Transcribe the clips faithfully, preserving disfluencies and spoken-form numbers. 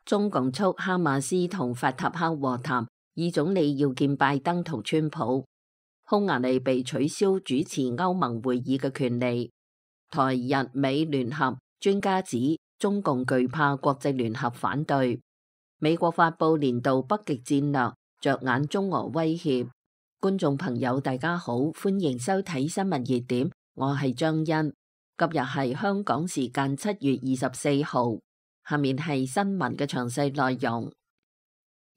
中共促哈馬斯同法塔赫和談，以總理要見拜登同川普。匈牙利被取消主持歐盟會議嘅權利。台日美聯合，專家指中共懼怕國際聯合反對。美國發布年度北極戰略，着眼中俄威脅。觀眾朋友大家好，歡迎收睇新聞熱點，我係張欣。今日係香港時間七月二十四號，下面係新聞嘅詳細內容。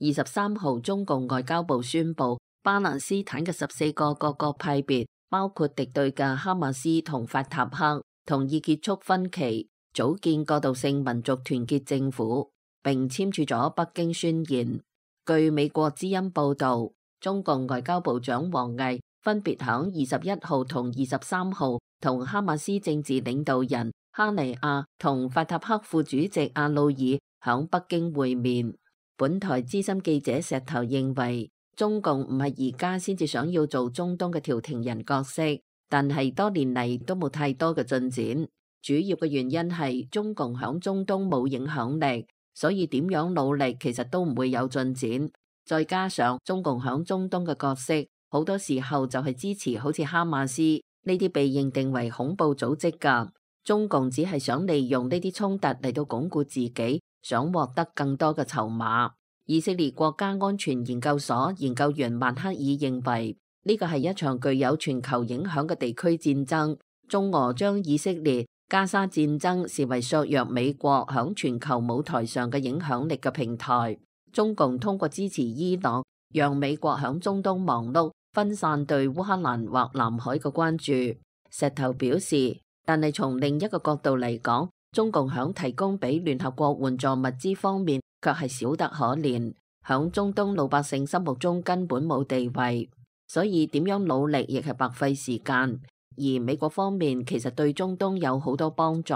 二十三號，中共外交部宣布，巴勒斯坦嘅十四個各個派別，包括敵對嘅哈馬斯同法塔赫，同意結束分歧，組建過渡性民族團結政府，並簽署咗北京宣言。據美國之音報道，中共外交部長王毅分別響二十一號同二十三號同哈馬斯政治領導人哈尼亞同法塔赫副主席阿魯爾響北京會面。本台資深記者石頭認為，中共唔係而家先至想要做中東嘅調停人角色，但係多年嚟都冇太多嘅進展。主要嘅原因係中共響中東冇影響力，所以點樣努力其實都唔會有進展。再加上中共響中東嘅角色，好多時候就係支持好似哈馬斯呢啲被認定為恐怖組織㗎。中共只係想利用呢啲衝突嚟到鞏固自己，想獲得更多嘅籌碼。以色列國家安全研究所研究員曼克爾認為，呢個係一場具有全球影響嘅地區戰爭。中俄將以色列加沙戰爭視為削弱美國響全球舞台上嘅影響力嘅平台。中共通過支持伊朗，讓美國響中東忙碌，分散對烏克蘭或南海嘅關注。石頭表示，但係從另一個角度嚟講，中共響提供俾聯合國援助物資方面，卻係少得可憐，響中東老百姓心目中根本冇地位，所以點樣努力亦係白費時間。而美國方面其實對中東有好多幫助，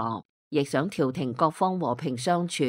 亦想調停各方和平相處，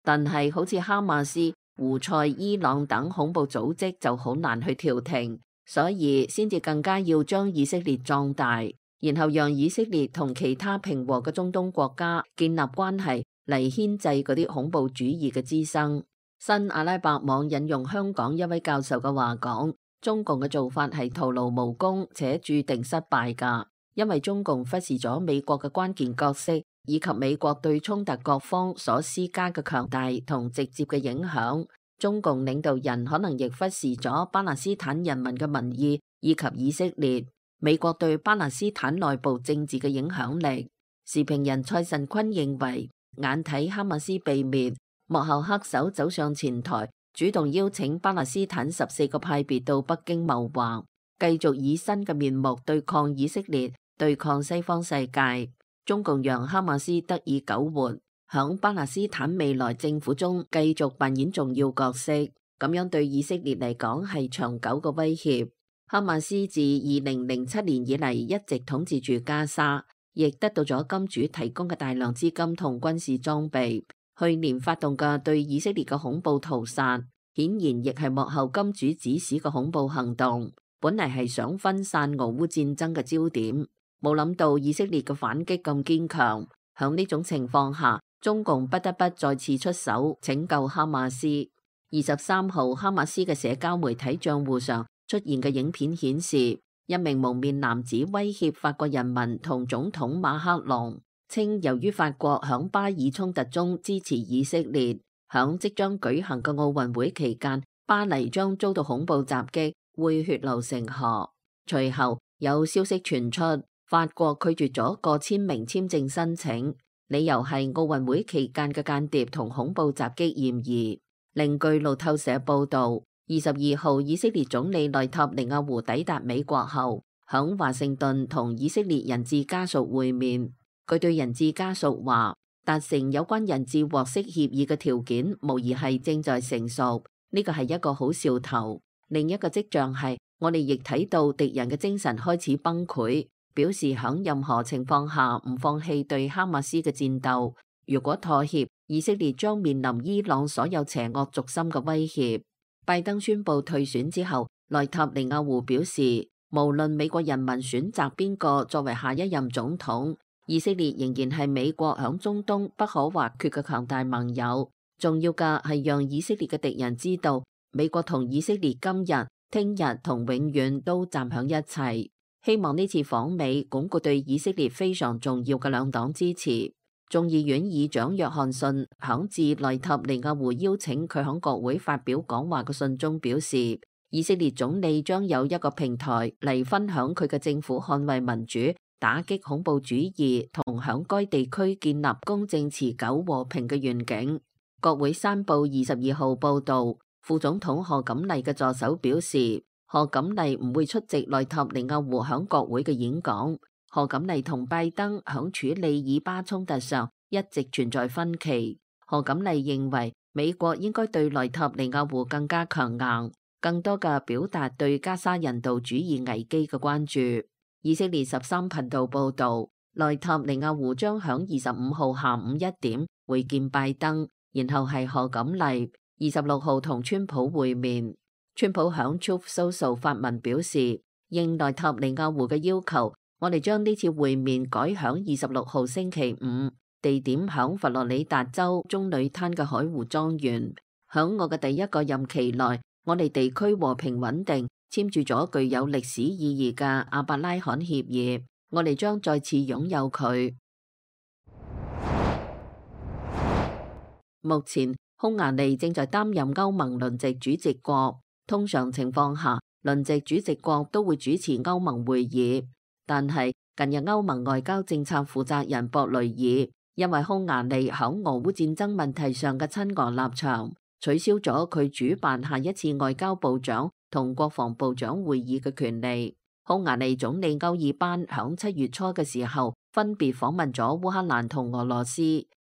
但係好似哈馬斯、胡塞、伊朗等恐怖組織就好難去調停，所以先至更加要將以色列壯大，然後讓以色列同其他平和嘅中東國家建立關係嚟牽制嗰啲恐怖主義嘅滋生。新阿拉伯網引用香港一位教授嘅話講，中共嘅做法係徒勞無功且注定失敗㗎，因為中共忽視咗美國嘅關鍵角色，以及美國對衝突各方所施加嘅強大同直接嘅影響。中共領導人可能亦忽視咗巴勒斯坦人民嘅民意，以及以色列、美國對巴勒斯坦內部政治嘅影響力。時評人蔡慎坤認為，眼睇哈馬斯被滅，幕後黑手走上前台，主動邀請巴勒斯坦十四個派別到北京謀劃，繼續以新嘅面目對抗以色列，對抗西方世界。中共讓哈馬斯得以苟活，響巴勒斯坦未來政府中繼續扮演重要角色，咁樣對以色列嚟講係長久嘅威脅。哈馬斯自二零零七年以嚟一直統治住加沙，亦得到咗金主提供嘅大量資金同軍事裝備。去年發動嘅對以色列嘅恐怖屠殺，顯然亦係幕後金主指使嘅恐怖行動，本嚟係想分散俄烏戰爭嘅焦點。冇諗到以色列嘅反擊咁堅強，響呢種情況下，中共不得不再次出手拯救哈馬斯。二十三號，哈馬斯嘅社交媒體賬戶上出現嘅影片顯示，一名蒙面男子威脅法國人民同總統馬克龍，稱由於法國響巴以衝突中支持以色列，響即將舉行嘅奧運會期間，巴黎將遭到恐怖襲擊，會血流成河。隨後有消息傳出，法國拒絕咗過千名簽證申請，理由係奧運會期間嘅間諜同恐怖襲擊嫌疑。另據路透社報道，二十二號以色列總理內塔尼亞胡抵達美國後，響華盛頓同以色列人質家屬會面。佢對人質家屬話，達成有關人質獲釋協議嘅條件無疑係正在成熟，呢個係一個好兆頭。另一個跡象係，我哋亦睇到敵人嘅精神開始崩潰，表示響任何情況下唔放棄對哈馬斯嘅戰鬥。如果妥協，以色列將面臨伊朗所有邪惡軸心嘅威脅。拜登宣布退選之後，內塔尼亞胡表示，無論美國人民選擇邊個作為下一任總統，以色列仍然係美國響中東不可或缺嘅強大盟友。重要嘅係讓以色列嘅敵人知道，美國同以色列今日、聽日同永遠都站響一齊。希望呢次訪美鞏固對以色列非常重要嘅兩黨支持。眾議院議長約翰遜響致內塔尼亞胡邀請佢響國會發表講話嘅信中表示，以色列總理將有一個平台嚟分享佢嘅政府捍衛民主、打擊恐怖主義同響該地區建立公正持久和平嘅願景。國會山報二十二號報導，副總統賀錦麗嘅助手表示，賀錦麗唔會出席內塔尼亞胡響國會嘅演講。賀錦麗同拜登響處理以巴衝突上一直存在分歧。賀錦麗認為美國應該對內塔尼亞胡更加強硬，更多嘅表達對加沙人道主義危機嘅關注。以色列十三頻道報導，內塔尼亞胡將響二十五號下午一點會見拜登，然後係賀錦麗。二十六號同川普會面。川普響 Truth Social 發文表示，應內塔尼亞胡嘅要求，我哋將呢次會面改響二十六號星期五，地點響佛羅里達州棕櫚灘嘅海湖莊園。響我嘅第一個任期內，我哋地區和平穩定，簽署咗具有歷史意義嘅阿伯拉罕協議，我哋將再次擁有佢。目前匈牙利正在擔任歐盟輪值主席國。通常情況下，輪值主席國都會主持歐盟會議。但係近日歐盟外交政策負責人博雷爾因為匈牙利響俄烏戰爭問題上嘅親俄立場，取消咗佢主辦下一次外交部長同國防部長會議嘅權利。匈牙利總理歐爾班響七月初嘅時候分別訪問咗烏克蘭同俄羅斯，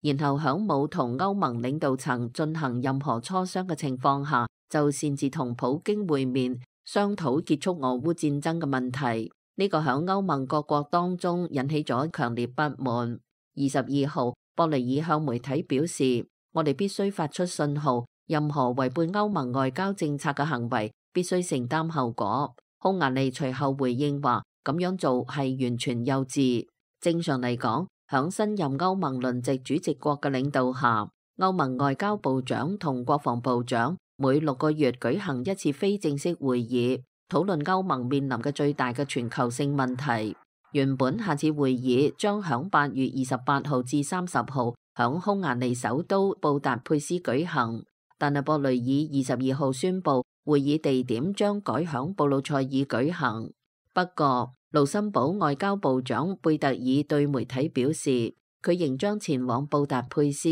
然後響冇同歐盟領導層進行任何磋商嘅情況下，就擅自同普京會面，商討結束俄烏戰爭嘅問題。呢、這個響歐盟各國當中引起咗強烈不滿。二十二號，博雷爾向媒體表示，我哋必須發出信號，任何違背歐盟外交政策嘅行為必須承擔後果。匈牙利隨後回應話，咁樣做係完全幼稚。正常嚟講，響新任歐盟輪值主席國嘅領導下，歐盟外交部長同國防部長每六個月舉行一次非正式會議，討論歐盟面臨嘅最大嘅全球性問題。原本下次會議將響八月二十八號至三十號響匈牙利首都布達佩斯舉行，但係博雷爾二十二號宣布會議地點將改響布魯塞爾舉行。不過，盧森堡外交部長貝特爾對媒體表示，佢仍將前往布達佩斯，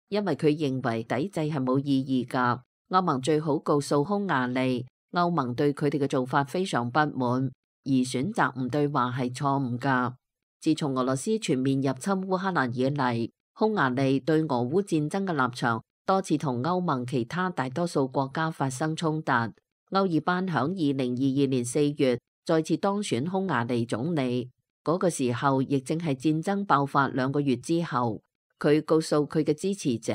因為佢認為抵制係冇意義㗎。歐盟最好告訴匈牙利，歐盟對佢哋嘅做法非常不滿，而選擇唔對話係錯誤㗎。自從俄羅斯全面入侵烏克蘭以嚟，匈牙利對俄烏戰爭嘅立場多次同歐盟其他大多數國家發生衝突。歐爾班響二零二二年四月再次當選匈牙利總理，嗰、那個時候亦正係戰爭爆發兩個月之後。佢告訴佢嘅支持者，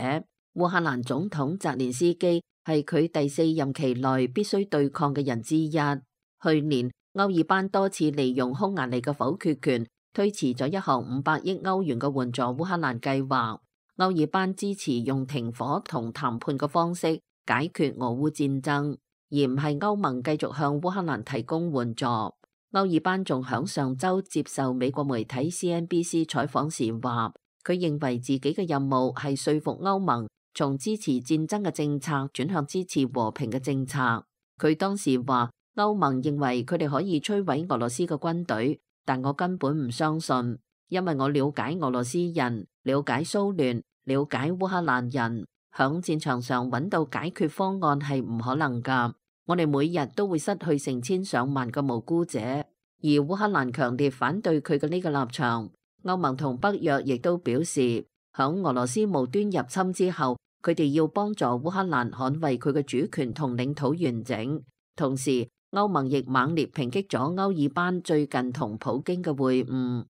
烏克蘭總統澤連斯基係佢第四任期內必須對抗嘅人之一。去年歐爾班多次利用匈牙利嘅否決權，推遲咗一項五百億歐元嘅援助烏克蘭計劃。歐爾班支持用停火同談判嘅方式解決俄烏戰爭，而唔係歐盟繼續向烏克蘭提供援助。歐爾班仲響上週接受美國媒體 C N B C 採訪時話，佢認為自己嘅任務係說服歐盟從支持戰爭嘅政策轉向支持和平嘅政策。佢當時話，歐盟認為佢哋可以摧毀俄羅斯嘅軍隊，但我根本唔相信，因為我了解俄羅斯人，了解蘇聯，了解烏克蘭人，響戰場上揾到解決方案係唔可能㗎。我哋每日都會失去成千上萬個無辜者，而烏克蘭強烈反對佢嘅呢個立場。歐盟同北約亦都表示，響俄羅斯無端入侵之後，佢哋要幫助烏克蘭捍衛佢嘅主權同領土完整。同時，歐盟亦猛烈抨擊咗歐爾班最近同普京嘅會晤。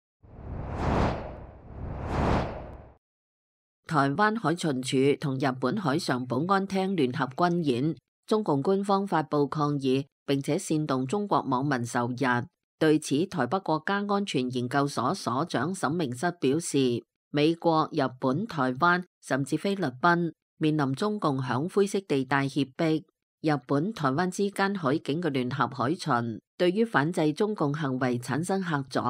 台灣海巡署同日本海上保安廳聯合軍演，中共官方發布抗議，並且煽動中國網民仇日。對此，台北國家安全研究所所長沈明室表示，美國、日本、台灣甚至菲律賓面臨中共響灰色地帶脅迫，日本、台灣之間海警嘅聯合海巡，對於反制中共行為產生嚇阻，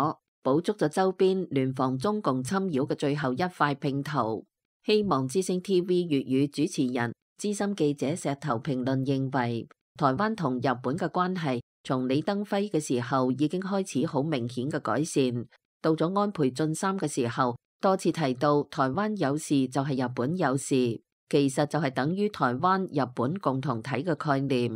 補足咗周邊聯防中共侵擾嘅最後一塊拼圖。希望之聲 T V 粵語主持人、資深記者石頭評論認為，台灣同日本嘅關係從李登輝嘅時候已經開始好明顯嘅改善，到咗安倍晉三嘅時候，多次提到台灣有事就係日本有事，其實就係等於台灣日本共同體嘅概念。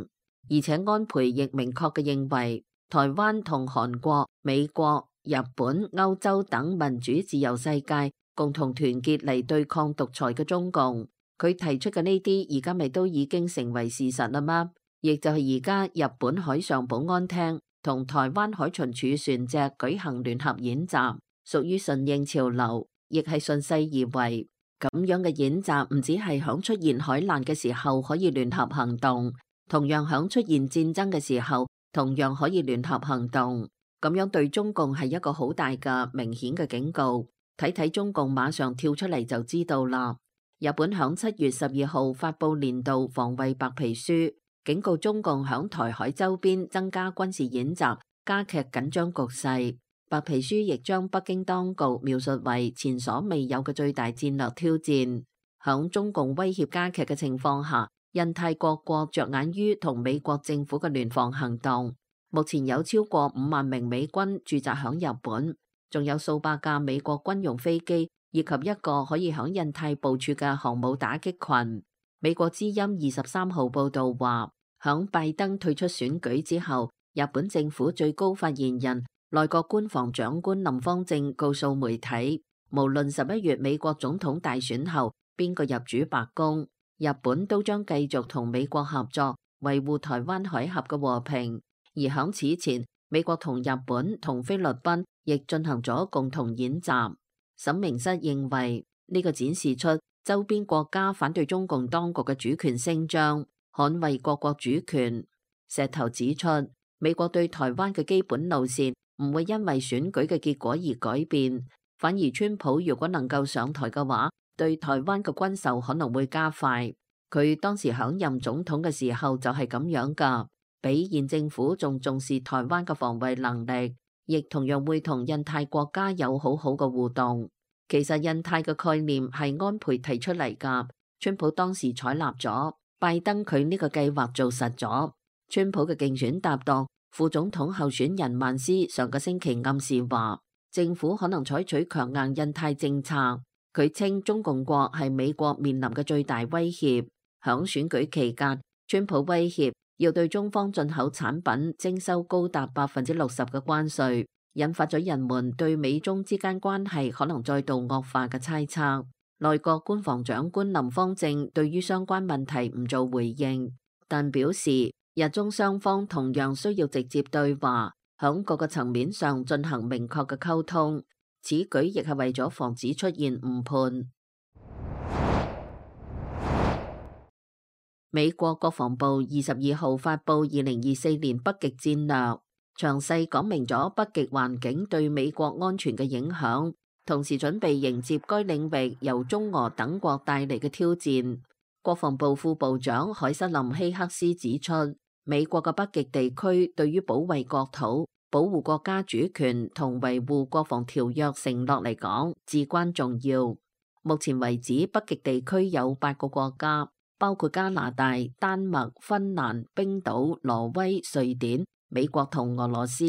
而且安倍亦明確嘅認為，台灣同韓國、美國、日本、歐洲等民主自由世界共同團結嚟對抗獨裁嘅中共。佢提出嘅呢啲而家咪都已經成為事實啦嗎？亦就係而家日本海上保安廳同台灣海巡署船隻舉行聯合演習，屬於順應潮流，亦係順勢而為。咁樣嘅演習唔止係響出現海難嘅時候可以聯合行動，同樣響出現戰爭嘅時候同樣可以聯合行動。咁樣對中共係一個好大嘅明顯嘅警告。睇睇中共馬上跳出嚟就知道啦。日本響七月十二號發佈年度防衛白皮書，警告中共響台海周邊增加軍事演習，加劇緊張局勢。白皮書亦將北京當局描述為前所未有嘅最大戰略挑戰。響中共威脅加劇嘅情況下，印太各國着眼於同美國政府嘅聯防行動。目前有超過五萬名美軍駐紮響日本，仲有數百架美國軍用飛機，以及一個可以響印太部署嘅航母打擊群。美國之音二十三號報道話，響拜登退出選舉之後，日本政府最高發言人、內閣官房長官林芳正告訴媒體，無論十一月美國總統大選後邊個入主白宮，日本都將繼續同美國合作，維護台灣海峽嘅和平。而響此前，美國同日本同菲律賓亦進行咗共同演習。沈明室認為呢個展示出周邊國家反對中共當局嘅主權聲張，捍衛各國主權。石頭指出，美國對台灣嘅基本路線唔會因為選舉嘅結果而改變，反而川普如果能夠上台嘅話，對台灣嘅軍售可能會加快。佢當時響任總統嘅時候就係咁樣噶，比現政府仲重視台灣嘅防衛能力。亦同樣會同印太國家有好好嘅互動。其實印太嘅概念係安倍提出嚟㗎，川普當時採納咗，拜登佢呢個計劃做實咗。川普嘅競選搭檔副總統候選人曼斯上個星期暗示話，政府可能採取強硬印太政策。佢稱中共國係美國面臨嘅最大威脅。響選舉期間，川普威脅要對中方進口產品徵收高達百分之六十嘅關稅，引發咗人們對美中之間關係可能再度惡化嘅猜測。內閣官房長官林芳正對於相關問題唔做回應，但表示日中雙方同樣需要直接對話，響各個層面上進行明確嘅溝通。此舉亦係為咗防止出現誤判。美國國防部二十二號發布二零二四年北極戰略，詳細講明咗北極環境對美國安全嘅影響，同時準備迎接該領域由中俄等國帶嚟嘅挑戰。國防部副部長海瑟琳希克斯指出，美國嘅北極地區對於保衛國土、保護國家主權同維護國防條約承諾嚟講至關重要。目前為止，北極地區有八個國家，包括加拿大、丹麥、芬蘭、冰島、挪威、瑞典、美國同俄羅斯。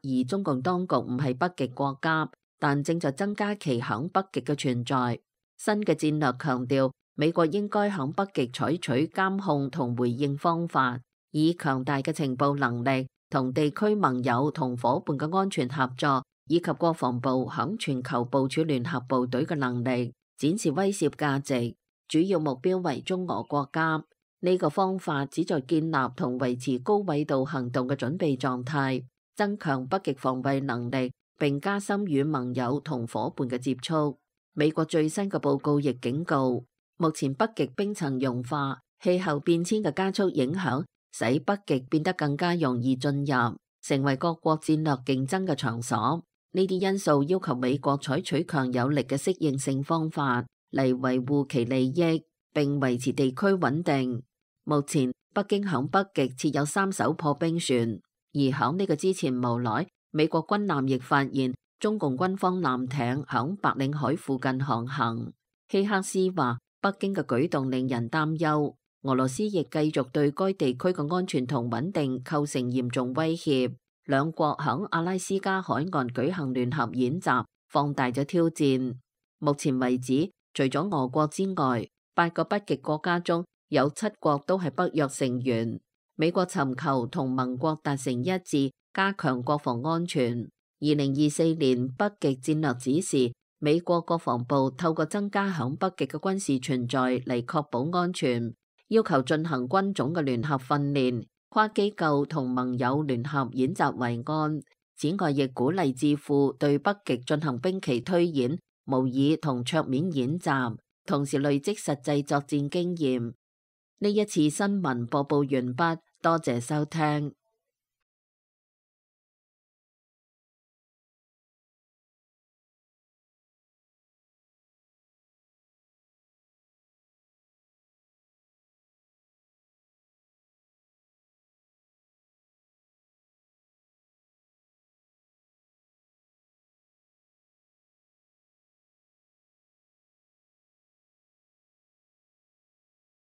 而中共當局唔係北極國家，但正在增加其響北極嘅存在。新嘅戰略強調，美國應該響北極採取監控同回應方法，以強大嘅情報能力同地區盟友同夥伴嘅安全合作，以及國防部響全球部署聯合部隊嘅能力，展示威懾價值。主要目標為中俄國家。呢個方法旨在建立同維持高緯度行動嘅準備狀態，增強北極防衛能力，並加深與盟友同夥伴嘅接觸。美國最新嘅報告亦警告，目前北極冰層融化、氣候變遷嘅加速影響，使北極變得更加容易進入，成為各國戰略競爭嘅場所。呢啲因素要求美國採取強有力嘅適應性方法嚟維護其利益。並維持地區穩定。目前北京響北極設有三艘破冰船，而響呢個之前無耐，美國軍艦亦發現中共軍方艦艇響白令海附近航行。希克斯話，北京嘅舉動令人擔憂，俄羅斯亦繼續對該地區嘅安全同穩定構成嚴重威脅。兩國響阿拉斯加海岸舉行聯合演習，放大咗挑戰。目前為止，除咗俄國之外，八個北極國家中有七國都係北約成員。美國尋求同盟國達成一致，加強國防安全。二零二四年北極戰略指示，美國國防部透過增加響北極嘅軍事存在嚟確保安全，要求進行軍種嘅聯合訓練、跨機構同盟友聯合演習為案。此外，亦鼓勵智庫對北極進行兵棋推演、模擬同桌面演習，同時累積實際作戰經驗。呢一次新聞播報完畢，多謝收聽。